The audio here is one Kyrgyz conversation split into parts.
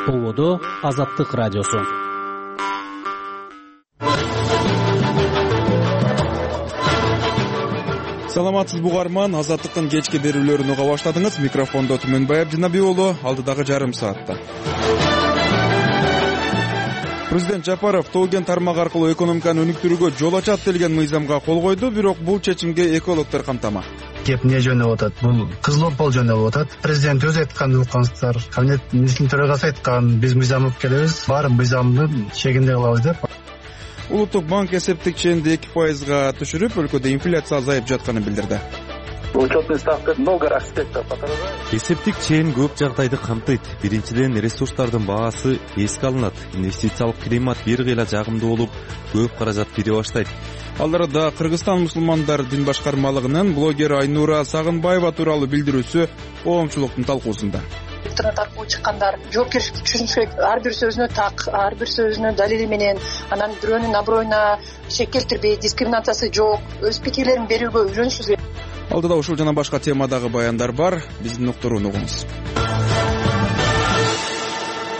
Болодо Азаттык радиосу. Саламатсызбы угарман, Азаттыктын кечки берүүлөрүн уга баштадыңыз. Микрофондо Түмөнбай Абдинаби уулу, алдыдагы жарым саатта. Президент Жапаров Тоо-Кен тармагы аркылуу экономиканы өнүктүрүүгө жол ачат делген мыйзамга кол койду, бирок бул чечимге экологдор кантама. Кеп эмне жөнөп атат? Бул кызыл жөнөп атат. Президент өзү айткан уккансыздар. Кабинет министринин төрагасы айткан, биз мыйзам алып келебиз, баары мыйзамдын чегинде кылабыз деп. Улуттук банк эсептик ченди 2%га түшүрүп, өлкөдө инфляция азайып жатканын билдирди. Учетный ставка много аспектов отражает. Эсептик чен көп жагдайды камтыйт. Биринчиден, ресурстардын баасы эске алынат. Инвестициялык климат бир кыйла жагымдуу болуп, көп каражат кире баштайт. Ал арада Кыргызстан мусулмандар дин башкармалыгынын блогер Айнура Сагынбаева тууралуу билдирүүсү коомчулуктун талкуусунда. Интернет аркылуу чыккандар жоопкерчиликти түшүнүш керек. Ар бир сөзүнө так, ар бир сөзүнө далили менен, анан бирөөнүн аброюна шек келтирбей, дискриминациясы жок, өз пикирлерин берүүгө үйрөнүшүбүз керек. Алдыда ушул жана башка темадагы баяндар бар. Биздин уктурууну угуңуз.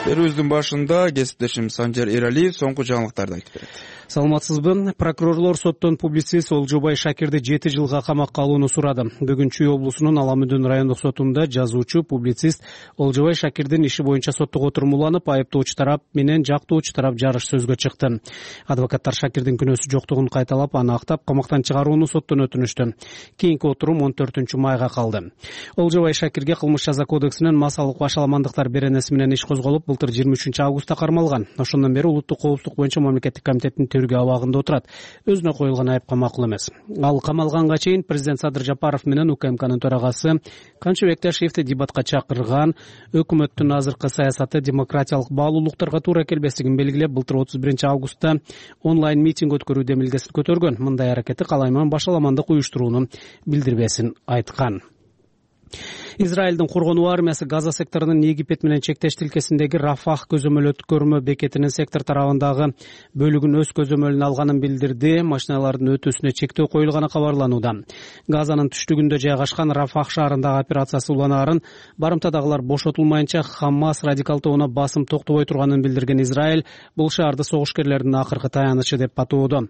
Берүүбүздүн башында кесиптешим Санжар Эралиев соңку жаңылыктарды айтып берет. Саламатсызбы? Прокурорлор соттон публицист Олжобай Шакирди 7 жылга камакка алууну сурады. Бүгүн Чүй облусунун Аламүдүн райондук сотунда жазуучу, публицист Олжобай Шакирдин иши боюнча соттук отурумуланып, айыптоочу тарап менен жактоочу тарап жарыш сөзгө чыкты. Адвокаттар Шакирдин күнөөсү жоктугун кайталап, аны актап, камактан чыгарууну соттон өтүнүштү. Кийинки отурум 14 майга калды. Олжобай Шакирге кылмыш жаза кодексинин масалык башаламандыктар беренеси менен иш козголуп, былтыр 23 августта кармалган. Ошондон бери улуттук коопсуздук боюнча мамлекеттик комитеттин тергөө абагында отурат. Өзүнө коюлган айыпка макул эмес. Ал камалганга чейин президент Садыр Жапаров менен УКМКнын төрагасы Камчы Бекташиевди дебатка чакырган, өкмөттүн азыркы саясаты демократиялык баалуулуктарга туура келбестигин белгилеп, былтыр 31 августта онлайн митинг өткөрүү демилгесин көтөргөн. Мындай аракети калайман башаламандык уюштурууну билдирбесин айткан. Израилдин коргонуу армиясы Газа секторунун Египет менен чектеш тилкесиндеги Рафах көзөмөл бекетинин сектор тарабындагы бөлүгүн өз көзөмөлүнө алганын билдирди. Машиналардын өтүүсүнө чектөө коюлганы кабарланууда. Газанын түштүгүндө жайгашкан Рафах шаарындагы операциясы уланаарын, барымтадагылар бошотулмайынча Хамас радикал тобуна басым токтобой турганын билдирген Израиль бул шаарды согушкерлердин акыркы таянычы деп атоодо.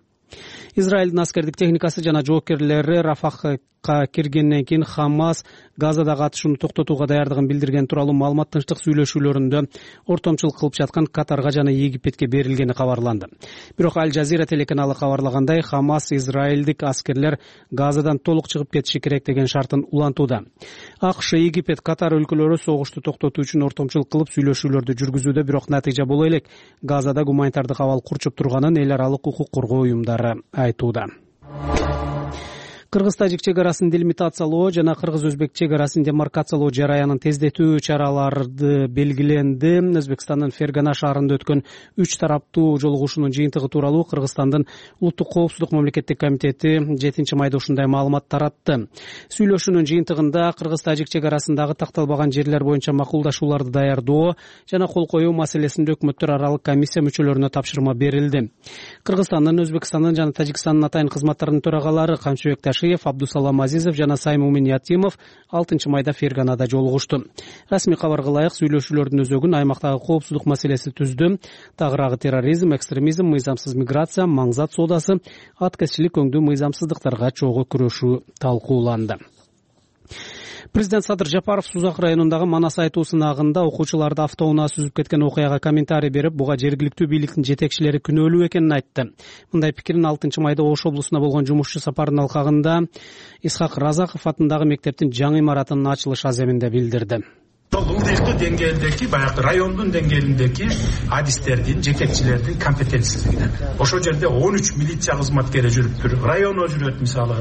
Израилдин аскердик техникасы жана жоопкерлери Рафахка киргенден кийин Хамас Газадагы атышууну токтотууга даярдыгын билдирген тууралуу маалымат тынчтык сүйлөшүүлөрүндө ортомчулук кылып жаткан Катарга жана Египетке берилгени кабарланды. Бирок Аль Жазира телеканалы кабарлагандай, Хамас израилдик аскерлер Газадан толук чыгып кетиши керек деген шартын улантууда. АКШ, Египет, Катар өлкөлөрү согушту токтотуу үчүн ортомчулук кылып сүйлөшүүлөрдү жүргүзүүдө, бирок натыйжа боло элек. Газада гуманитардык абал курчуп турганын эл аралык укук коргоо уюмдары айтууда. Кыргыз-тажик чегарасын делимитациялоо жана кыргыз-өзбек чегарасын демаркациялоо жараянын тездетүү чаралары белгиленди. Өзбекстандын Фергана шаарында өткөн 3 тараптуу жолугушуунун жыйынтыгы тууралуу Кыргызстандын улуттук коопсуздук мамлекеттик комитети 7 майда ушундай маалымат таратты. Сүйлөшүүнүн жыйынтыгында кыргыз-тажик чегарасындагы такталбаган жерлер боюнча макулдашууларды даярдоо жана кол коюу маселесинде өкмөттөр аралык комиссия мүчөлөрүнө тапшырма берилди. Кыргызстандын, Өзбекстандын жана Тажикстандын атайын кызматтарынын төрагалары Камчыбек Абдусалам Азизов жана Саймумин Ятимов 6 майда Ферганада жолугушту. Расмий кабарга ылайык, сүйлөшүүлөрдүн өзөгүн аймактагы коопсуздук маселеси түздү. Тагыраагы терроризм, экстремизм, мыйзамсыз миграция, маңзат соодасы, аткезчилик өңдүү мыйзамсыздыктарга чогуу күрөшүү талкууланды. Президент Садыр Жапаров Сузак районундагы Манас айтуу сынагында окуучуларды автоунаа сүзүп кеткен окуяга комментарий берип, буга жергиликтүү бийликтин жетекчилери күнөөлүү экенин айтты. Мындай пикирин 6 майда Ош облусуна болгон жумушчу сапарынын алкагында Исхак Разаков атындагы мектептин жаңы имаратынын ачылыш аземинде билдирди. Ылдыйктуу деңгээлдеги, баягы райондун деңгээлиндеги адистердин, жетекчилердин компетенцисиздигинен. Ошол жерде 13 милиция кызматкери жүрүптүр. Районо жүрөт, мисалы,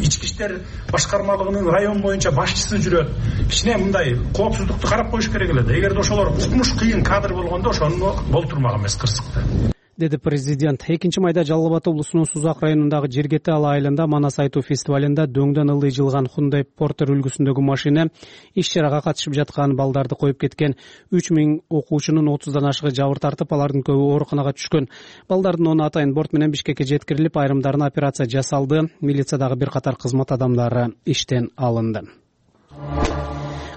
ички иштер башкармалыгынын район боюнча башчысы жүрөт. Кичине мындай коопсуздукту карап коюш керек эле да. Эгерде ошолор укмуш кыйын кадр болгондо ошону болтурмак эмес кырсыкта. деди президент. 2 майда Жалал Абад облусунун Сузак районундагы Жергете Ала айылында Манас айтуу фестивалында дөңдөн ылдый жылган Hyundai Porter үлгүсүндөгү машина иш чарага катышып жаткан балдарды коюп кеткен. 3000 окуучунун 30дан ашыгы жабыр тартып, алардын көбү ооруканага түшкөн. Балдардын 10 атайын борт менен Бишкекке жеткирилип, айрымдарына операция жасалды. Милициядагы бир катар кызмат адамдары иштен алынды.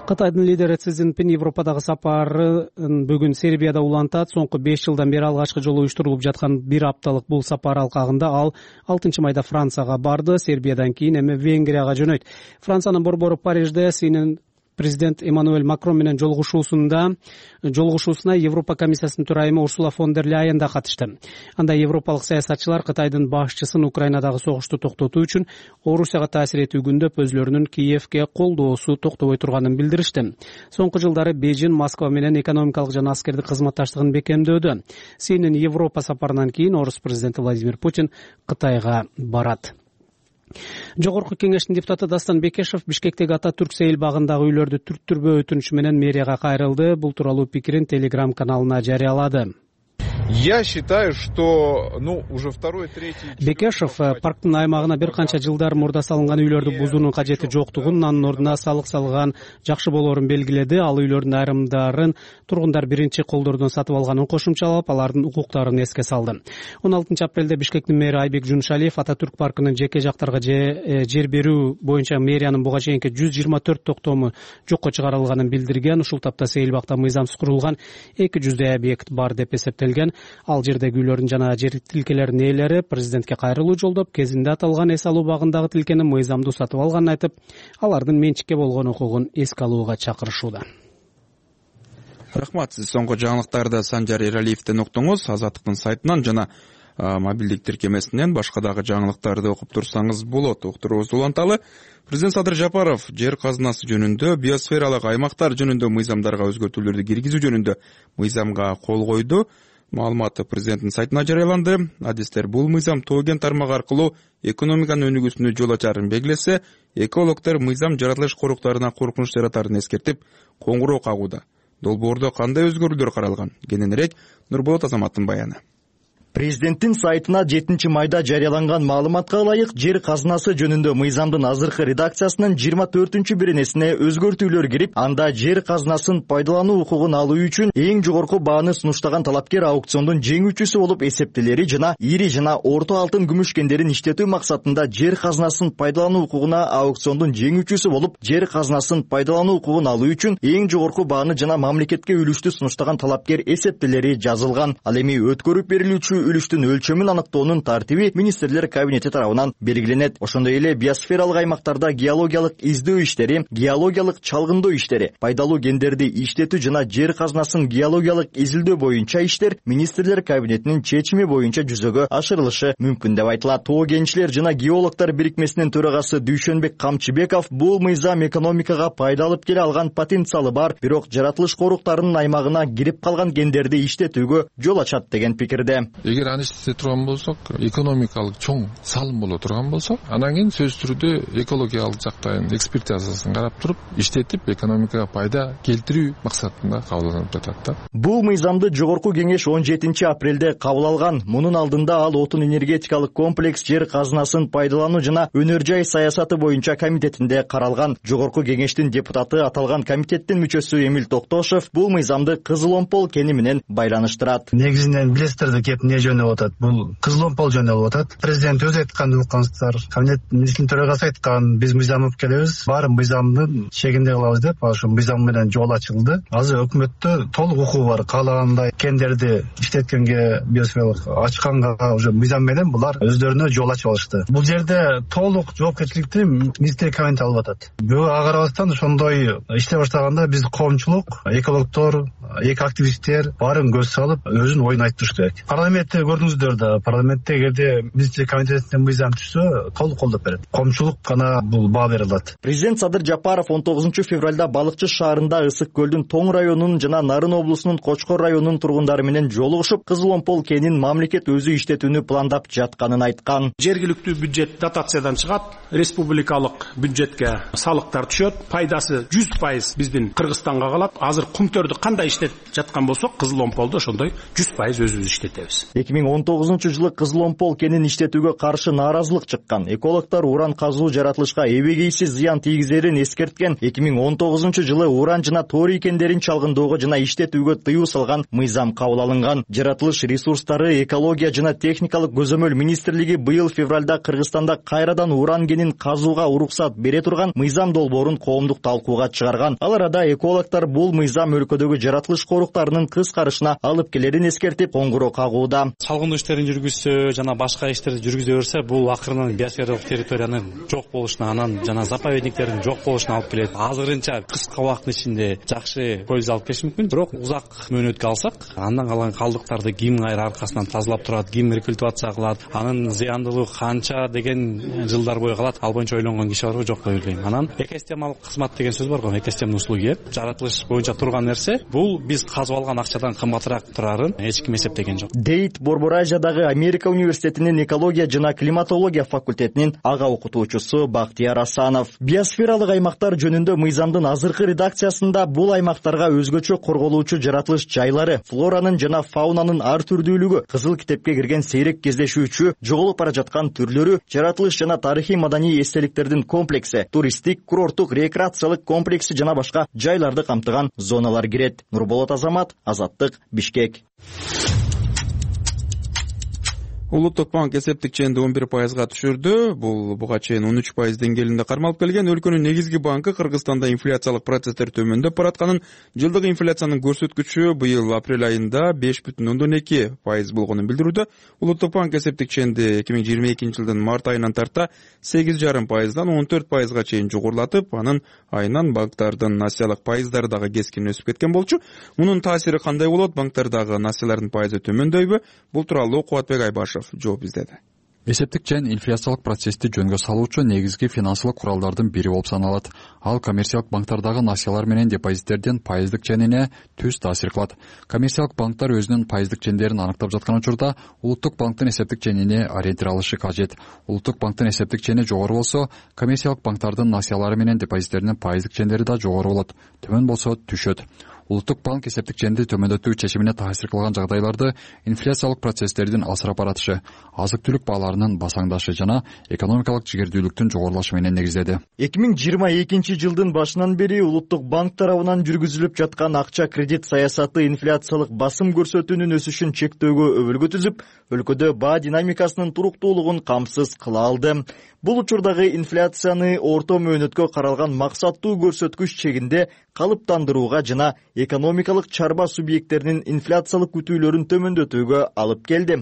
Кытайдын лидери Си Цзиньпин Европадагы сапарын бүгүн Сербияда улантат. Соңку 5 жылдан бери алгачкы жолу уюштурулуп жаткан бир апталык бул сапар алкагында ал 6-майда Францияга барды. Сербиядан кийин эми Венгрияга жөнөйт. Франциянын борбору Парижде Синин президент Эммануэль Макрон менен жолугушуусуна Европа комиссиясынын төрайымы Урсула фон дер Ляйен да катышты. Анда европалык саясатчылар Кытайдын башчысын Украинадагы согушту токтотуу үчүн Орусияга таасир этүү күндөп өзлөрүнүн Киевке колдоосу токтобой турганын билдиришти. Соңку жылдары Бейжин Москва менен экономикалык жана аскердик кызматташтыгын бекемдөөдө. Синин Европа сапарынан кийин орус президенти Владимир Путин Кытайга барат. Жогорку кеңештин депутаты Дастан Бекешев Бишкектеги Ататүрк сейил багындагы үйлөрдү түрттүрбөө өтүнүчү менен мэрияга кайрылды. Бул тууралуу пикирин Telegram каналына жарыялады. Я считаю, что уже второй-третий... Бекешев парктын аймагына бир канча жылдар мурда салынган үйлөрдү бузуунун кажети жоктугун, анын ордуна салык салган жакшы болоорун белгиледи. Ал үйлөрдүн айрымдарын тургундар биринчи колдордон сатып алганын кошумчалап, алардын укуктарын эске салды. 16-апрелде Бишкектин мэри Айбек Жуншалиев Ататүрк паркынын жеке жактарга жер берүү боюнча мэриянын буга чейинки 124 токтому жокко чыгарылганын билдирген. Ушул тапта сейил бакта мыйзамсыз курулган 200 объект бар деп эсептелген. Ал жердеги үйлөрдүн жана жер тилкелеринин ээлери президентке кайрылуу жолдоп, кезинде аталган эс алуу багындагы тилкени мыйзамдуу сатып алганын айтып, алардын менчикке болгон укугун эске алууга чакырышууда. Рахмат. Сиз соңку жаңылыктарды Санжар Эралиевден уктуңуз. Азаттыктын сайтынан жана мобилдик тиркемесинен башка дагы жаңылыктарды окуп турсаңыз болот. Уктуруубузду уланталы. Президент Садыр Жапаров жер казынасы жөнүндө, биосфералык аймактар жөнүндө мыйзамдарга өзгөртүүлөрдү киргизүү жөнүндө мыйзамга кол койду. Маалыматы президенттин сайтына жарыяланды. Адистер бул мыйзам тоо кен тармагы аркылуу экономиканын өнүгүүсүнө жол ачарын белгилесе, экологдор мыйзам жаратылыш коруктарына коркунуч жаратарын эскертип, коңгуроо кагууда. Долбоордо кандай өзгөрүүлөр каралган? Кененирээк Нурболот Азаматтын баяны. Президенттин сайтына 7-майда жарыяланган маалыматка ылайык жер казынасы жөнүндө мыйзамдын азыркы редакциясынын 24-беренесине өзгөртүүлөр кирип, анда жер казынасын пайдалануу укугун алуу үчүн эң жогорку бааны сунуштаган талапкер аукциондун жеңүүчүсү болуп эсептелери жана ири жана орто алтын күмүш кендерин иштетүү максатында жер казынасын пайдалануу укугуна аукциондун жеңүүчүсү болуп, жер казынасын пайдалануу укугун алуу үчүн эң жогорку бааны жана мамлекетке үлүштү сунуштаган талапкер эсептелери жазылган. Ал эми өткөрүп берилүүчү үлүштүн өлчөмүн аныктоонун тартиби министрлер кабинети тарабынан белгиленет. Ошондой эле биосфералык аймактарда геологиялык издөө иштери, геологиялык чалгындоо иштери, пайдалуу кендерди иштетүү жана жер казынасын геологиялык изилдөө боюнча иштер министрлер кабинетинин чечими боюнча жүзөгө ашырылышы мүмкүн деп айтылат. Тоо кенчилер жана геологдор бирикмесинин төрагасы Дүйшөнбек Камчыбеков бул мыйзам экономикага пайда алып келе алган потенциалы бар, бирок жаратылыш коруктарынын аймагына кирип калган кендерди иштетүүгө жол ачат деген пикирде. Эгер аны иштете турган болсок, экономикалык чоң салым боло турган болсо, анан кийин сөзсүз түрдө экологиялык жактан экспертизасын карап туруп, иштетип экономикага пайда келтирүү максатында кабыл алынып жатат да. Бул мыйзамды жогорку кеңеш 17-апрелде кабыл алган. Мунун алдында ал отун энергетикалык комплекс жер казынасын пайдалануу жана өнөр жай саясаты боюнча комитетинде каралган. Жогорку кеңештин депутаты аталган комитеттин мүчөсү Эмил Токтошев бул мыйзамды Кызыл Омпол кени менен байланыштырат. Негизинен билесиздер кеп жөнүп атат. Бул Кызыл Омпол жөнүп атат. Президент өзү айтканды уккансыздар. Кабинет министринин төрагасы айткан, биз мыйзам алып келебиз, баары мыйзамдын чегинде кылабыз деп, ошо мыйзам менен жол ачылды. Азыр өкмөттө толук укугу бар. Каалагандай кендерди иштеткенге, биосфералык ачканга уже мыйзам менен булар өздөрүнө жол ачып алышты. Бул жерде толук жоопкерчиликти министрлик кабинети алып атат. Бирөө агарабастан ошондой иштей баштаганда биз коомчулук, экологдор, активисттер баарын көз салып, өзүнүн оюн айтып туруш керек. Парламентте көрдүңүздөр да, парламентте эгерде министрлик комитетинен мыйзам түшсө, толук колдоп берет. Коомчулук гана бул баа бере алат. Президент Садыр Жапаров 19-февралда Балыкчы шаарында Ысык көлдүн Тоң районунун жана Нарын облусунун Кочкор районунун тургундары менен жолугушуп, Кызыл Омпол кенин мамлекет өзү иштетүүнү пландап жатканын айткан. Жергиликтүү бюджет дотациядан чыгат, республикалык бюджетке салыктар түшөт, пайдасы 100% биздин Кыргызстанга калат. Азыр кумтөрдү кандай иштетет иштетип жаткан болсок, Кызыл Омполдо ошондой 100% өзүбүз иштетебиз. 2019-жылы Кызыл Омпол кенин иштетүүгө каршы нааразылык чыккан. Экологдор уран казуу жаратылышка эбегейсиз зыян тийгизерин эскерткен. 2019-жылы уран жана торий кендерин чалгындоого жана иштетүүгө тыюу салган мыйзам кабыл алынган. Жаратылыш ресурстары, экология жана техникалык көзөмөл министрлиги быйыл февралда Кыргызстанда кайрадан уран кенин казууга уруксат бере турган мыйзам долбоорун коомдук талкууга чыгарган. Ал арада экологдор бул мыйзам өлкөдөгү жаратылыш коруктарынын кыскарышына алып келерин эскертип, коңгуроо кагууда. Салгындоо иштерин жүргүзсө жана башка иштерди жүргүзө берсе, бул акырынан биосфералык территориянын жок болушуна, анан жана заповедниктердин жок болушуна алып келет. Азырынча кыска убакыттын ичинде жакшы польза алып келиш мүмкүн, бирок узак мөөнөткө алсак, андан калган калдыктарды ким кайра аркасынан тазалап турат, ким рекультивация кылат, анын зыяндуулугу канча деген жылдар бою калат. Ал боюнча ойлонгон киши барбы, жок деп ойлойм. Анан экосистемалык кызмат деген сөз бар го, экосистемный услуги. Жаратылыш боюнча турган нерсе, бул биз казып алган акчадан кымбатыраак турарын эч ким эсептеген жок. Дейт Борборайжадагы Америка университетинин экология жана климатология факультетинин ага окутуучусу Бактияр Асанов. Биосфералык аймактар жөнүндө мыйзамдын азыркы редакциясында бул аймактарга өзгөчө корголуучу жаратылыш жайлары, флоранын жана фаунанын ар түрдүүлүгү, кызыл китепке кирген сейрек кездешүүчү, жоголуп бара жаткан түрлөрү, жаратылыш жана тарыхый маданий эстеликтердин комплекси, туристтик, курорттук, рекреациялык комплекси жана башка жайларды камтыган зоналар кирет. Нурболот Азамат, Азаттык, Бишкек. Улуттук банк эсептик ченди 11%га түшүрдү. Бул буга чейин 13% деңгээлинде кармалып келген. Өлкөнүн негизги банкы Кыргызстанда инфляциялык процесстер төмөндөп баратканын, жылдык инфляциянын көрсөткүчү быйыл апрель айында 5,2% болгонун билдирүүдө. Улуттук банк эсептик ченди 2022-жылдын март айынан тарта 8,5%дан 14%га чейин жогорулатып, анын айынан банктардын насиялык пайыздары дагы кескин өсүп кеткен болчу. Мунун таасири кандай болот? Банктардагы насиялардын пайызы төмөндөйбү? Бул тууралуу Кубатбек Айбашев жооп издеди. Эсептик чен инфляциялык процессти жөнгө салуучу негизги финансылык куралдардын бири болуп саналат. Ал коммерциялык банктардагы насиялар менен депозиттердин пайыздык ченине түз таасир кылат. Коммерциялык банктар өзүнүн пайыздык чендерин аныктап жаткан учурда улуттук банктын эсептик ченине ориентир алышы кажет. Улуттук банктын эсептик чени жогору болсо, коммерциялык банктардын насиялары менен депозиттеринин пайыздык чендери да жогору болот. Төмөн болсо түшөт. Улуттук банк эсептик ченди төмөндөтүү чечимине таасир кылган жагдайларды инфляциялык процесстердин алсырап баратышы, азык-түлүк бааларынын басаңдашы жана экономикалык жигердүүлүктүн жогорулашы менен негиздеди. 2022-жылдын башынан бери улуттук банк тарабынан жүргүзүлүп жаткан акча кредит саясаты инфляциялык басым көрсөтүүнүн өсүшүн чектөөгө өбөлгө түзүп, өлкөдө баа динамикасынын туруктуулугун камсыз кыла алды. Бул учурдагы инфляцияны орто мөөнөткө каралган максаттуу көрсөткүч чегинде калыптандырууга жана экономикалык чарба субъекттеринин инфляциялык күтүүлөрүн төмөндөтүүгө алып келди.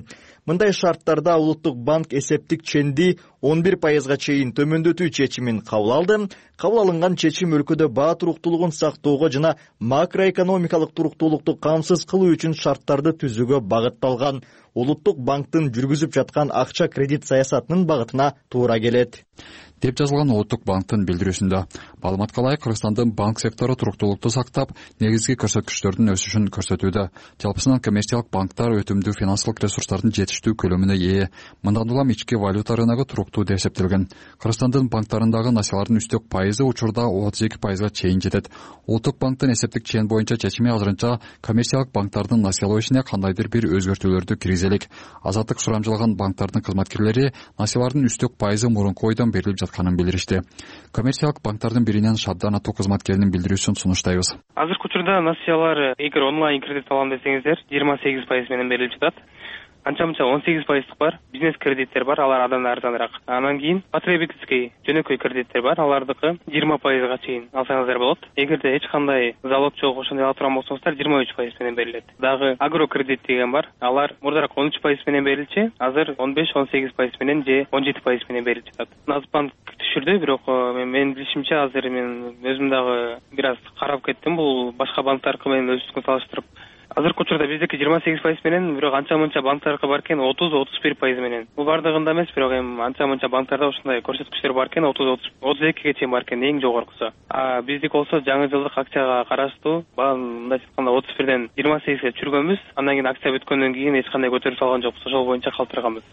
Мындай шарттарда улуттук банк эсептик ченди 11%га чейин төмөндөтүү чечимин кабыл алды. Кабыл алынган чечим өлкөдө баа туруктуулугун сактоого жана макроэкономикалык туруктуулукту камсыз кылуу үчүн шарттарды түзүүгө багытталган. Улуттук банктын жүргүзүп жаткан акча кредит саясатынын багытына туура келет деп жазылган Улуттук банктын билдирүүсүндө. Маалыматка ылайык, Кыргызстандын банк сектору туруктуулукту сактап, негизги көрсөткүчтөрдүн өсүшүн көрсөтүүдө. Жалпысынан коммерциялык банктар өтүмдүү финансылык ресурстардын жетиштүү көлөмүнө ээ. Мындан улам ички валюта рыногу туруктуу деп эсептелген. Кыргызстандын банктарындагы насиялардын үстөк пайызы учурда 32%га чейин жетет. Улуттук банктын эсептик чен боюнча чечими азырынча коммерциялык банктардын насиялоо ишине кандайдыр бир өзгөртүүлөрдү киргизе элек. Азаттык сурамжылган банктардын кызматкерлери насиялардын үстөк пайызы мурунку ойдон берилип жатканын билдиришти. Коммерциялык банктардын биринен Шабдан Атуу кызматкеринин билдирүүсүн сунуштайбыз. Азыркы учурда насиялар эгер онлайн кредит алам десеңиздер 28% менен берилип жатат. Анча-мынча 18% бар, бизнес кредиттер бар, алар абдан арзаныраак. Анан кийин потребительский жөнөкөй кредиттер бар, алардыкы 20%га чейин алсаңыздар болот. Эгерде эч кандай залог жок ошондой ала турган болсоңуздар 23% менен берилет. Дагы агро кредит деген бар, алар мурдараак 13% менен берилчү, азыр 15-18% менен же 17% менен берилип жатат. Нацбанк түшүрдү, бирок менин билишимче азыр мен өзүм дагы бир аз карап кеттим, бул башка банктаркы менен өзүбүзгө салыштырып. Азыркы учурда биздики 28% менен, бирок анча-мынча банктарга бар экен 30-31% менен. Бул бардыгында эмес, бирок эми анча-мынча банктарда ошондой көрсөткүчтөр бар экен, 30-32ге чейин бар экен, эң жогоркусу. Биздики болсо жаңы жылдык акчага караштуу, мындай айтканда 31ден 28ге түшүргөнбүз. Андан кийин акция бүткөндөн кийин эч кандай көтөрүп салган жокпуз, ошол боюнча калтырганбыз.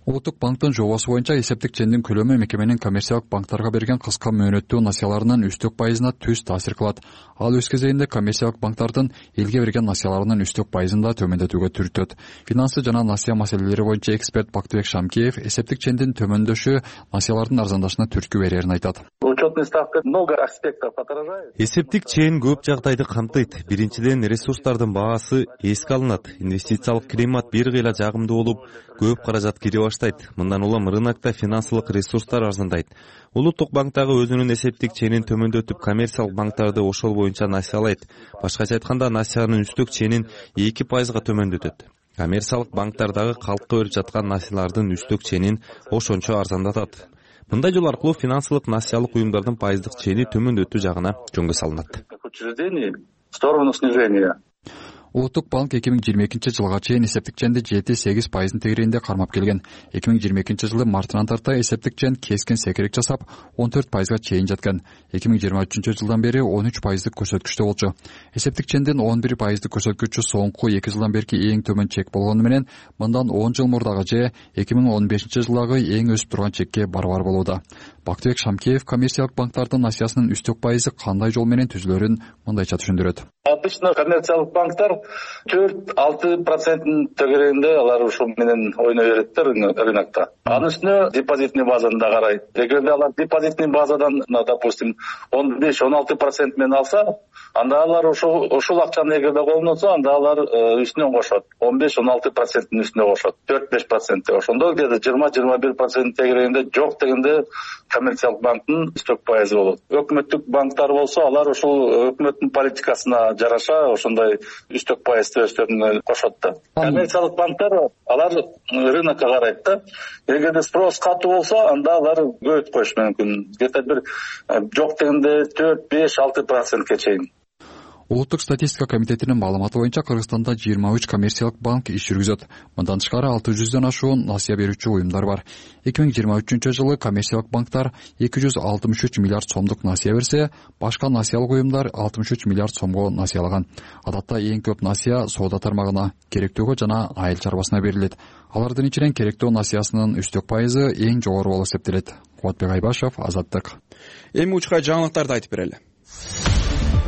Улуттук банктын жобосу боюнча эсептик чендин көлөмү мекеменин коммерциялык банктарга берген кыска мөөнөттүү насыяларынын үстөк пайызына түз таасир кылат. Ал өз кезегинде коммерциялык банктардын элге берген насыяларынын үстөк пайызын да төмөндөтүүгө түртөт. Финансы жана насыя маселелери боюнча эксперт Бактыбек Шамкеев эсептик чендин төмөндөшү насыялардын арзандашына түрткү берерин айтат. Учетные ставки много аспектов отражают. Эсептик чен көп жагдайды камтыйт. Биринчиден, ресурстардын баасы эске алынат. Инвестициялык климат бир кыйла жагымдуу болуп, көп каражат кире баштайт. Мындан улам рынокто финансылык ресурстар арзандайт. Улуттук банк дагы өзүнүн эсептик ченин төмөндөтүп, коммерциялык банктарды ошол боюнча насыялайт. Башкача айтканда, насыянын үстөк ченин 2%га төмөндөтөт. Коммерциялык банктар дагы калкка берип жаткан насыялардын үстөк ченин ошончо арзандатат. Мындай жол аркылуу финансылык насыялык уюмдардын пайыздык чени төмөндөтүү жагына жөнгө салынат. В сторону снижения. Улуттук банк 2022 жылга чейин эсептик ченди 7-8% тегерегинде кармап келген. 2022 жылы мартынан тарта эсептик чен кескин секирик жасап 14%га чейин жаткан. 2023 жылдан бери 13%дык көрсөткүчтө болчу. Эсептик чендин 11%дык көрсөткүчү соңку 2 жылдан берки эң төмөн чек болгону менен мындан 10 жыл мурдагы же 2015 жылдагы эң өсүп турган чекке барабар болууда. Бактыбек Шамкеев коммерциялык банктардын насыясынын үстөк пайызы кандай жол менен түзүлөрүн мындайча түшүндүрөт. Обычно коммерциялык банктар 4-6% тегерегинде алар ушул менен ойной береттер рынокто. Анын үстүнө депозитный базаны да карайт. Эгерде алар депозитный базадан, допустим, 15-16% менен алса, анда алар ушул акчаны эгерде колуна алса, анда алар үстүнөн кошот. 15-16%-ын үстүнө кошот. 4-5%. Ошондо где-то 20-21% тегерегинде жок дегенде коммерциялык банктын үстөк пайызы болот. Өкмөттүк банктар болсо, алар ушул өкмөттүн политикасына жараша ошондой үстөк пайыз өстөрүнө кошот да. Коммерциялык банктар алар рынокко карайт да. Эгерде спрос катуу болсо, анда алар көбөйтүп коюш мүмкүн. Где-то бир жок дегенде 4-5-6%ке чейин. Улуттук статистика комитетинин маалыматы боюнча Кыргызстанда 23 коммерциялык банк иш жүргүзөт. Мындан тышкары 600дөн ашуун насыя берүүчү уюмдар бар. 2023 жылы коммерциялык банктар 263 миллиард сомдук насыя берсе, башка насыялык уюмдар 63 миллиард сомго насыялаган. Адатта эң көп насыя соода тармагына, керектөөгө жана айыл чарбасына берилет. Алардын ичинен керектөө насыясынын үстөк пайызы эң жогору болуп эсептелет. Кубатбек Айбашев, Азаттык. Эми учкай жаңылыктарды айтып берели.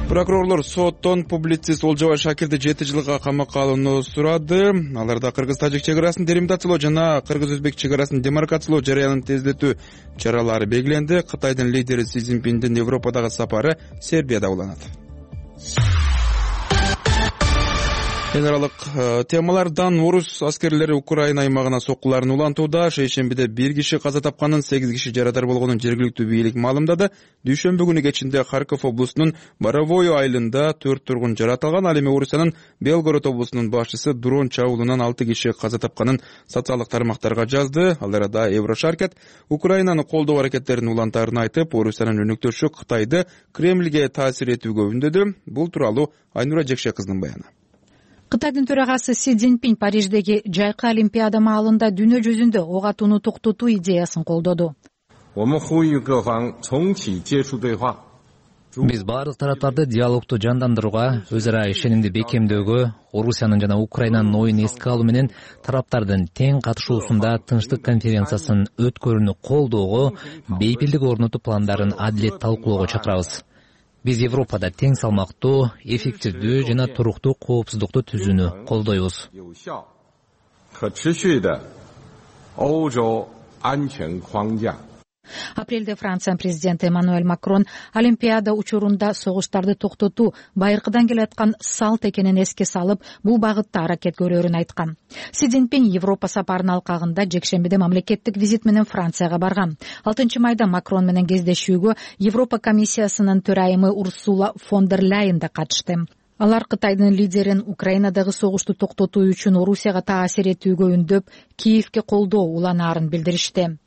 Прокурорлор соттон публицист Олжобай Шакирди 7 жылга камакка алууну сурады. Аларда кыргыз-тажик чек арасын делимитациялоо жана кыргыз-өзбек чек арасын демаркациялоо жарыянын тездетүү чаралары белгиленди. Кытайдын лидери Си Цзиньпиндин Европадагы сапары Сербияда уланат. Эл аралык темалардан орус аскерлери Украина аймагына соккуларын улантууда. Шейшембиде 1 киши каза тапканын, 8 киши жарадар болгонун жергиликтүү бийлик маалымдады. Дүйшөмбү күнү кечинде Харьков облусунун Боровое айылында 4 тургун жаратылган. Ал эми Орусиянын Белгород облусунун башчысы дрон чабуулунан 6 киши каза тапканын социалдык тармактарга жазды. Ал арада Еврошаркет Украинаны колдоо аракеттерин улантаарын айтып, Орусиянын өнөктөшү Кытайды Кремльге таасир этүүгө үндөдү. Бул тууралуу Айнура Жекше кыздын баяны. Кытайдын төрагасы Си Цзиньпин Париждеги жайкы Олимпиада маалында дүйнө жүзүндө ок атууну токтотуу идеясын колдоду. Биз баардык тараптарды диалогду жандандырууга, өз ара ишенимди бекемдөөгө, Орусиянын жана Украинанын оюн эске алуу менен тараптардын тең катышуусунда Тынчтык конференциясын өткөрүүнү колдоого, бейпилдик орнотуу пландарын адилет талкуулоого чакырабыз. Биз Европада тең салмактуу, эффективдүү жана туруктуу коопсуздукту түзүүнү колдойбуз. Апрелде Франциянын президенти Эммануэль Макрон Олимпиада учурунда согуштарды токтотуу байыркыдан келаткан салт экенин эске салып, бул багытта аракет көрөрүн айткан. Си Цзиньпин Европа сапарынын алкагында жекшембиде мамлекеттик визит менен Францияга барган. 6 майда Макрон менен кездешүүгө Европа комиссиясынын төрайымы Урсула фон дер Ляйен да катышты. Алар Кытайдын лидерин Украинадагы согушту токтотуу үчүн Орусияга таасир этүүгө үндөп, Киевке колдоо уланаарын билдиришти.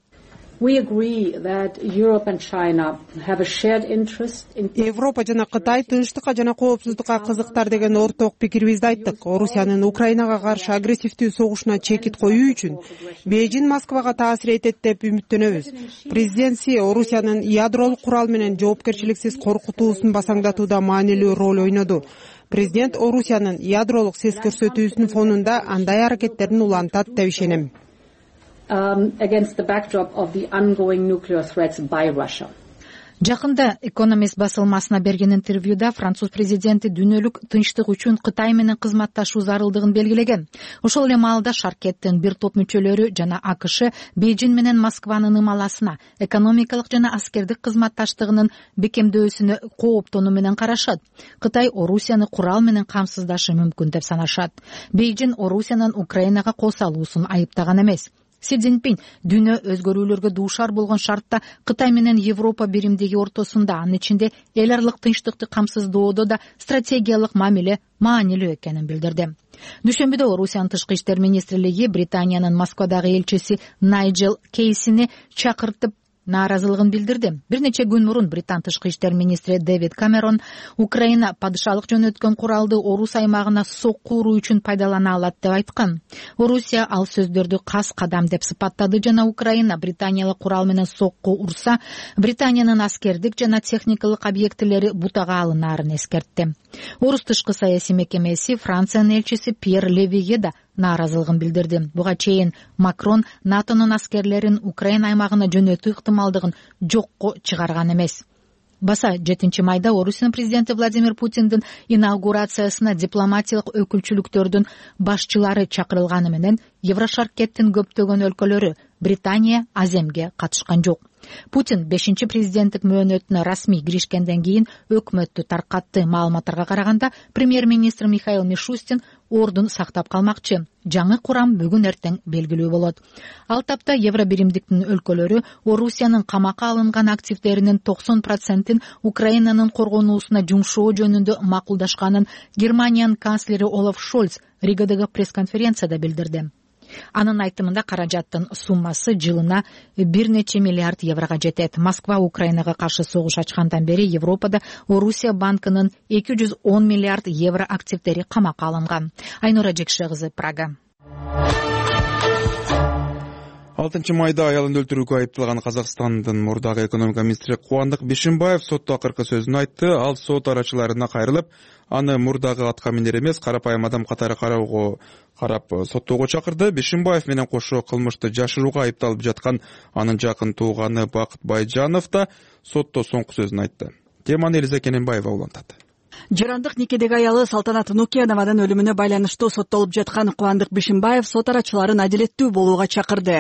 Европа жана Кытай тынчтыкка жана коопсуздукка кызыктар деген орток пикирибизди айттык. Орусиянын Украинага каршы агрессивдүү согушуна чекит коюу үчүн Бейжин Москвага таасир этет деп үмүттөнөбүз. Президент Си Орусиянын ядролук курал менен жоопкерчиликсиз коркутуусун басаңдатууда маанилүү роль ойноду. Президент Орусиянын ядролук сес көрсөтүүсүнүн фонунда андай аракеттерин улантат деп ишенем. against the backdrop of the ongoing nuclear threats by Russia. Жакында Economist басылмасына берген интервьюда француз президенти дүйнөлүк тынчтык үчүн Кытай менен кызматташуу зарылдыгын белгилеген. Ошол эле маалда Шаркеттин бир топ мүчөлөрү жана АКШ Бейжин менен Москванын ымаласына, экономикалык жана аскердик кызматташтыгынын бекемдөөсүнө кооптонуу менен карашат. Кытай Орусияны курал менен камсыздашы мүмкүн деп санашат. Бейжин Орусиянын Украинага кол салуусун айыптаган эмес. Си Цзиньпин дүйнө өзгөрүүлөргө дуушар болгон шартта Кытай менен Европа биримдиги ортосунда, анын ичинде эл аралык тынчтыкты камсыздоодо да стратегиялык мамиле маанилүү экенин билдирди. Дүйшөмбүдө Орусиянын тышкы иштер министрлиги Британиянын Москвадагы элчиси Найджел Кейсини чакыртып нааразылыгын билдирди. Бир нече күн мурун Британ тышкы иштер министри Дэвид Камерон Украина падышалык жөнөткөн куралды Орус аймагына сокку уруу үчүн пайдалана алат деп айткан. Орусия ал сөздөрдү кас кадам деп сыпаттады жана Украина Британиялык курал менен сокку урса, Британиянын аскердик жана техникалык объектилери бутага алынаарын эскертти. Орус тышкы саясий мекемеси Франциянын элчиси Пьер Левиге да нааразылыгын билдирди. Буга чейин Макрон НАТОнун аскерлерин Украина аймагына жөнөтүү ыктымалдыгын жокко чыгарган эмес. Баса 7 майда Орусиянын президенти Владимир Путиндин инаугурациясына дипломатиялык өкүлчүлүктөрдүн башчылары чакырылганы менен Еврошаркеттин көптөгөн өлкөлөрү Британия аземге катышкан жок. Путин 5-чи президенттик мөөнөтүнө расмий киришкенден кийин өкмөттү таркатты. Маалыматтарга караганда, премьер-министр Михаил Мишустин ордун сактап калмакчы. Жаңы курам бүгүн эртең белгилүү болот. Ал тапта Евробиримдиктин өлкөлөрү Орусиянын камакка алынган активдеринин 90%-ин Украинанын коргонуусуна жумшоо жөнүндө макулдашканын Германиянын канцлери Олаф Шольц Ригадагы пресс-конференцияда билдирди. Анын айтымында каражаттын суммасы жылына бир нече миллиард еврого жетет. Москва Украинага каршы согуш ачкандан бери Европада Орусия банкынын 210 миллиард евро активдери камакка алынган. Айнура Жекше кызы, Прага. 6 майда аялын өлтүрүүгө айыпталган Казакстандын мурдагы экономика министри Кубандык Бишимбаев сотто акыркы сөзүн айтты. Ал сот арачыларына кайрылып, аны мурдагы атка минер эмес, карапайым адам катары карап соттоого чакырды. Бишимбаев менен кошо кылмышты жашырууга айыпталып жаткан анын жакын тууганы Бакыт Байжанов да сотто соңку сөзүн айтты. Теманы Элиза Кененбаева улантат. Жарандык никедеги аялы Салтанат Нукенованын өлүмүнө байланыштуу соттолуп жаткан Кубандык Бишимбаев сот арачыларын адилеттүү болууга чакырды.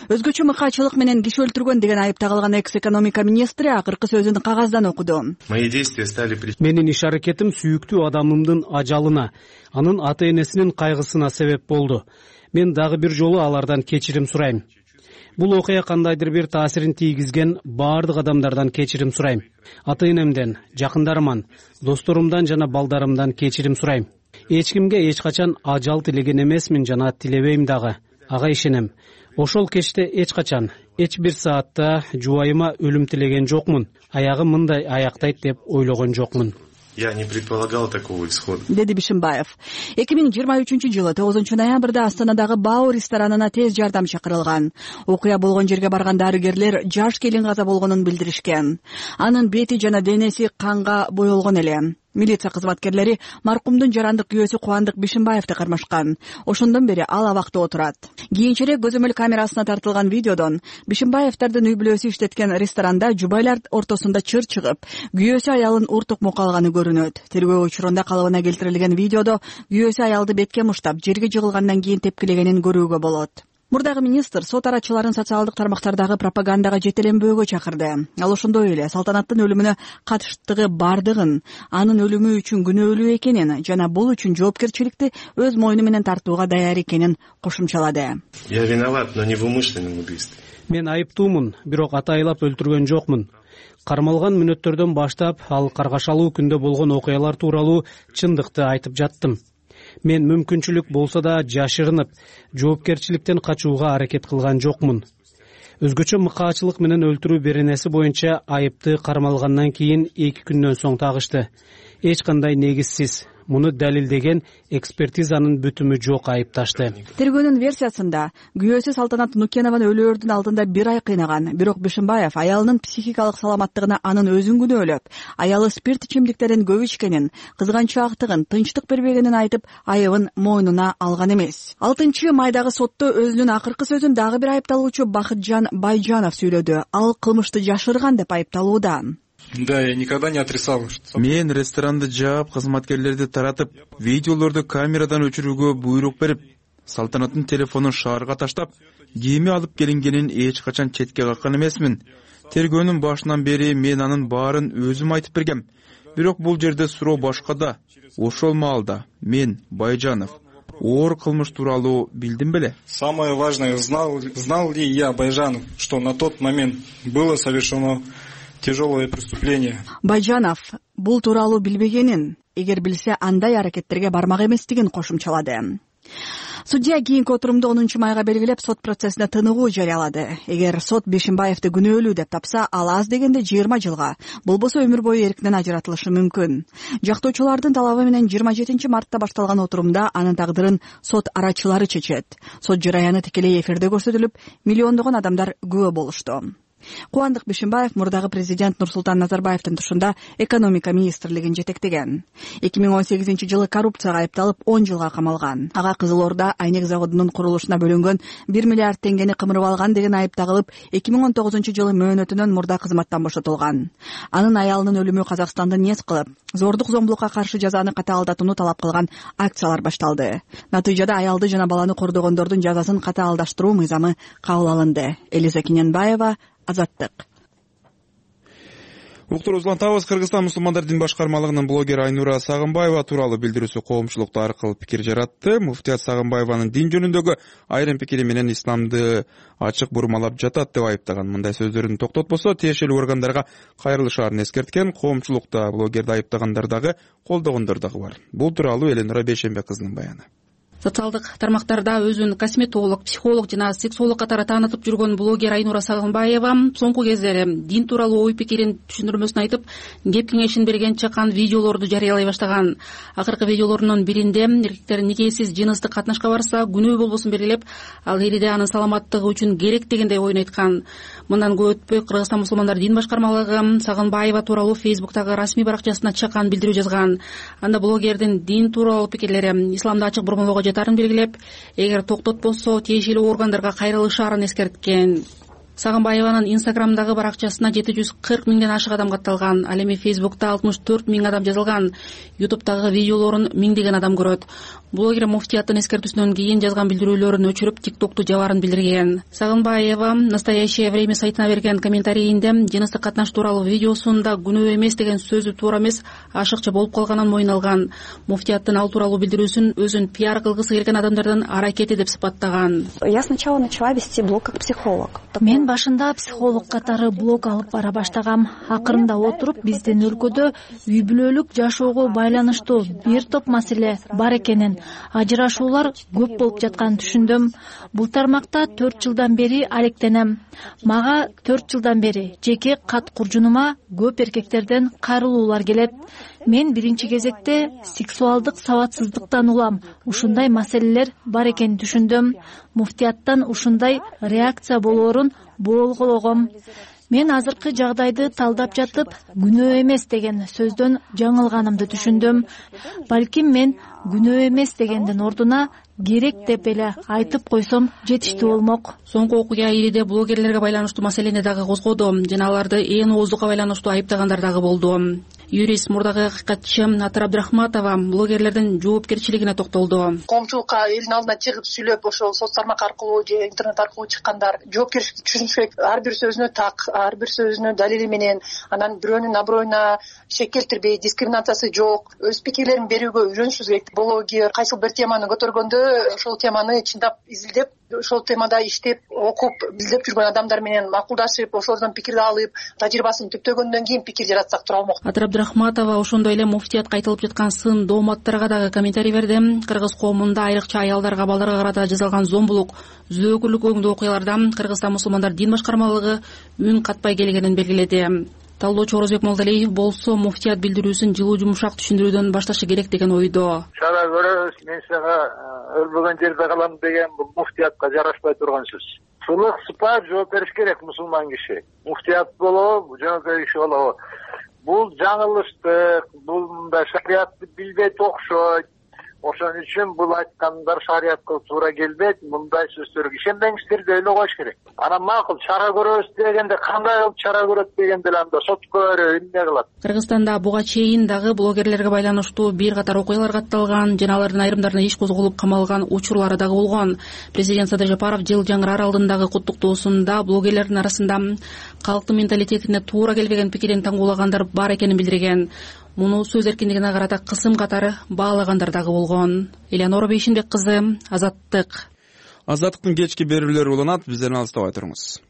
Өзгөчө мыкаачылык менен киши өлтүргөн деген айып тагылган экс-экономика министри акыркы сөзүн кагаздан окуду. Менин иш-аракетим сүйүктүү адамымдын ажалына, анын ата-энесинин кайгысына себеп болду. Мен дагы бир жолу алардан кечирим сурайм. Бул окуя кандайдыр бир таасирин тийгизген баардык адамдардан кечирим сурайм. Ата-энемден, жакындарыман, досторумдан жана балдарымдан кечирим сурайм. Эч кимге эч качан ажал тилеген эмесмин жана тилебейм дагы. Ага ишенем. Ошол кечте эч качан, эч бир саатта жубайыма өлүм тилеген жокмун. Аягы мындай аяктайт деп ойлогон жокмун. Я не предполагал такого исхода. Деди Бишимбаев. 2023-жылы 9 ноябрда Астанадагы Бау ресторанына тез жардам чакырылган. Окуя болгон жерге барган дарыгерлер жаш келин каза болгонун билдиришкен. Анын бети жана денеси канга боелгон эле. Милиция кызматкерлери маркумдун жарандык күйөөсү Кубандык Бишимбаевди кармашкан. Ошондон бери ал абакта отурат. Кийинчерээк көзөмөл камерасына тартылган видеодон Бишимбаевдардын үй бүлөсү иштеткен ресторанда жубайлар ортосунда чыр чыгып, күйөөсү аялын уртук мукалганы көрүнөт. Тергөө учурунда калыбына келтирилген видеодо күйөөсү аялды бетке муштап, жерге жыгылгандан кийин тепкилегенин көрүүгө болот. Мурдагы министр сот арачыларын социалдык тармактардагы пропагандага жетеленбөөгө чакырды. Ал ошондой эле Салтанаттын өлүмүнө катыштыгы бардыгын, анын өлүмү үчүн күнөөлүү экенин жана бул үчүн жоопкерчиликти өз мойну менен тартууга даяр экенин кошумчалады. Я виноват, но не в умышленном убийстве. Мен айыптуумун, бирок атайлап өлтүргөн жокмун. Кармалган мүнөттөрдөн баштап, ал каргашалуу күндө болгон окуялар тууралуу чындыкты айтып жаттым. Мен мүмкүнчүлүк болсо да жашырынып, жоопкерчиликтен качууга аракет кылган жокмун. Өзгөчө мыкаачылык менен өлтүрүү беренеси боюнча айыпты кармалгандан кийин 2 күндөн соң тагышты. Эч кандай негизсиз. муну далилдеген экспертизанын бүтүмү жок айыпташты. Тергөөнүн версиясында күбөсү Салтанат Нукенованы өлөөрдүн алдында 1 ай кыйнаган. Бирок Бишимбаев аялынын психикалык саламаттыгына анын өзүн күнөөлөп, аялы спирт ичимдиктерин көп ичкенин, кызганчаактыгын, тынчтык бербегенин айтып, айыбын мойнуна алган эмес. 6 майдагы сотто өзүнүн акыркы сөзүн дагы бир айыпталуучу Бакытжан Байжанов сүйлөдү. Ал кылмышты жашырган деп айыпталууда. Да, я никогда не отрицал. Мен ресторанды жаап, кызматкерлерди таратып, видеолорду камерадан өчүрүүгө буйрук берип, Салтанаттын телефонун шаарга таштап, кийими алып келингенин эч качан четке каккан эмесмин. Тергөөнүн башынан бери мен анын баарын өзүм айтып бергем. Бирок бул жерде суроо башкада. Ошол маалда мен, Байжанов, оор кылмыш тууралуу билдим беле? Самое важное, знал ли я, Байжанов, что на тот момент было совершено тяжелое преступление? Байжанов бул тууралуу билбегенин, эгер билсе андай аракеттерге бармак эместигин кошумчалады. Судья кийинки отурумду 10 майга белгилеп, сот процессине тыныгуу жарыялады. Эгер сот Бишимбаевди күнөөлүү деп тапса, ал аз дегенде 20 жылга, болбосо өмүр бою эркинен ажыратылышы мүмкүн. Жактоочулардын талабы менен 27 мартта башталган отурумда анын тагдырын сот арачылары чечет. Сот жараяны тикелей эфирде көрсөтүлүп, миллиондогон адамдар күбө болушту. Кубандык Бишимбаев мурдагы президент Нурсултан Назарбаевдин тушунда экономика министрлигин жетектеген. 2018-жылы коррупцияга айыпталып 10 жылга камалган. Ага Кызыл Орда айнек заводунун курулушуна бөлүнгөн 1 миллиард теңгени кымырып алган деген айып тагылып, 2019-жылы мөөнөтүнөн мурда кызматтан бошотулган. Анын аялынын өлүмү Казакстанды нес кылып, зордук зомбулукка каршы жазаны катаалдатууну талап кылган акциялар башталды. Натыйжада аялды жана баланы кордогондордун жазасын катаалдаштыруу мыйзамы кабыл алынды. Элиза Киненбаева, Азаттык. Уктур узулантабыз. Кыргызстан мусулмандар дин башкармалыгынын блогери Айнура Сагынбаева тууралуу билдирүүсү коомчулукта аркылуу пикир жаратты. Муфтият Сагынбаеванын дин жөнүндөгү айрым пикири менен исламды ачык бурмалап жатат деп айыптаган. Мындай сөздөрүн токтотпосо тиешелүү органдарга кайрылышаарын эскерткен. Коомчулукта блогерди айыптагандар дагы, колдогондор дагы бар. Бул тууралуу Эленура Бейшембек кызынын баяны. Социалдык тармактарда өзүн косметолог, психолог жана сексолог катары таанытып жүргөн блогер Айнура Сагынбаева соңку кездери дин тууралуу ой пикирин түшүндүрмөсүн айтып, кеп кеңешин берген чакан видеолорду жарыялай баштаган. Акыркы видеолорунун биринде эркектер никесиз жыныстык катнашка барса күнөө болбосун белгилеп, ал эриде анын саламаттыгы үчүн керек дегендей оюн айткан. Мындан көп өтпөй Кыргызстан мусулмандар дин башкармалыгы Сагынбаева тууралуу Фейсбуктагы расмий баракчасына чакан билдирүү жазган. Анда блогердин дин тууралуу пикирлери исламды ачык бурмалоого жатарын белгилеп, эгер токтотпосо тиешелүү органдарга кайрылышаарын эскерткен. Сагынбаеванын Инстаграмдагы баракчасына 740 миңден ашык адам катталган. Ал эми Фейсбукта 64 миң адам жазылган. Ютубтагы видеолорун миңдеген адам көрөт. Блогер муфтияттын эскертүүсүнөн кийин жазган билдирүүлөрүн өчүрүп, ТикТокту жабаарын билдирген. Сагынбаева Настоящее время сайтына берген комментарийинде жыныстык катнаш тууралуу видеосунда күнөө эмес деген сөзү туура эмес, ашыкча болуп калганын мойнуна алган. Муфтияттын ал тууралуу билдирүүсүн өзүн пиар кылгысы келген адамдардын аракети деп сыпаттаган. Я сначала начала вести блог как психолог. Мен башында психолог катары блог алып бара баштагам. Акырында отуруп, биздин өлкөдө үй бүлөлүк жашоого байланыштуу бир топ маселе бар экенин, ажырашуулар көп болуп жатканын түшүндүм. Бул тармакта 4 жылдан бери алектенем. Мага 4 жылдан бери жеке кат куржунума көп эркектерден кайрылуулар келет. Мен биринчи кезекте сексуалдык сабатсыздыктан улам. Ушундай маселелер бар экенин түшүндүм. Муфтияттан ушундай реакция болоорун болгологом. Мен азыркы жагдайды талдап жатып, күнөө эмес деген сөздөн жаңылганымды түшүндүм. Балким мен күнөө эмес дегендин ордуна керек деп эле айтып койсом жетиштүү болмок. Соңку окуя ириде блогерлерге байланыштуу маселени дагы козгоду жана аларды ээн ооздукка байланыштуу айыптагандар дагы болду. Юрист мурдагы акыйкатчы Атыр Абдрахматова блогерлердин жоопкерчилигине токтолду. Коомчулукка элдин алдына чыгып сүйлөп, ошол соц тармак аркылуу же интернет аркылуу чыккандар жоопкерчиликти түшүнүш керек. Ар бир сөзүнө так, ар бир сөзүнө далили менен, анан бирөөнүн аброюна шек келтирбей, дискриминациясы жок, өз пикирлерин берүүгө үйрөнүшүбүз керек. Блогер кайсы бир теманы көтөргөндө ошол теманы чындап изилдеп, ошол темада иштеп, окуп, билдеп жүргөн адамдар менен макулдашып, ошолордон пикирди алып, тажрыйбасын түптөгөндөн кийин пикир жаратсак тура болмок. Атыр Абдрахматова ошондой эле муфтиятка айтылып жаткан сын дооматтарга дагы комментарий берди. Кыргыз коомунда айрыкча аялдарга, балдарга карата жасалган зомбулук, зөөкүрлүк өңдүү окуялардан Кыргызстан мусулмандар дин башкармалыгы үн катпай келгенин белгиледи. талдоочу Орозбек Молдалиев болсо муфтият билдирүүсүн жылуу жумшак түшүндүрүүдөн башташы керек деген ойдо. Чара көрөбүз, мен сага өлбөгөн жерде калам деген бул муфтиятка жарашпай турган сөз. Сулук сыпат жооп бериш керек мусулман киши. Муфтият болобу, жөнөкөй киши болобу. Бул жаңылыштык, бул мындай шариатты билбейт окшойт. Ошон үчүн бул айткандар шариатка туура келбейт. Мындай сөздөргө ишенбеңиздер деп ойлой коюш керек. Анан макул чара көрөбүз дегенде кандай кылып чара көрөт дегенде анда сотко берип эмне кылат? Кыргызстанда буга чейин дагы блогерлерге байланыштуу бир катар окуялар катталган, жана алардын айрымдарына иш козголуп камалган учурлары дагы болгон. Президент Садыр Жапаров жыл жаңыраар алдындагы куттуктоосунда блогерлердин арасында калктын менталитетине туура келбеген пикирин таңгуулагандар бар экенин билдирген. Муну сөз эркиндигине карата кысым катары баалагандар дагы болгон. Элеонора Бейшинбек кызы, Азаттык. Азаттыктын кечки берүүлөрү уланат, бизден алыстабай туруңуз.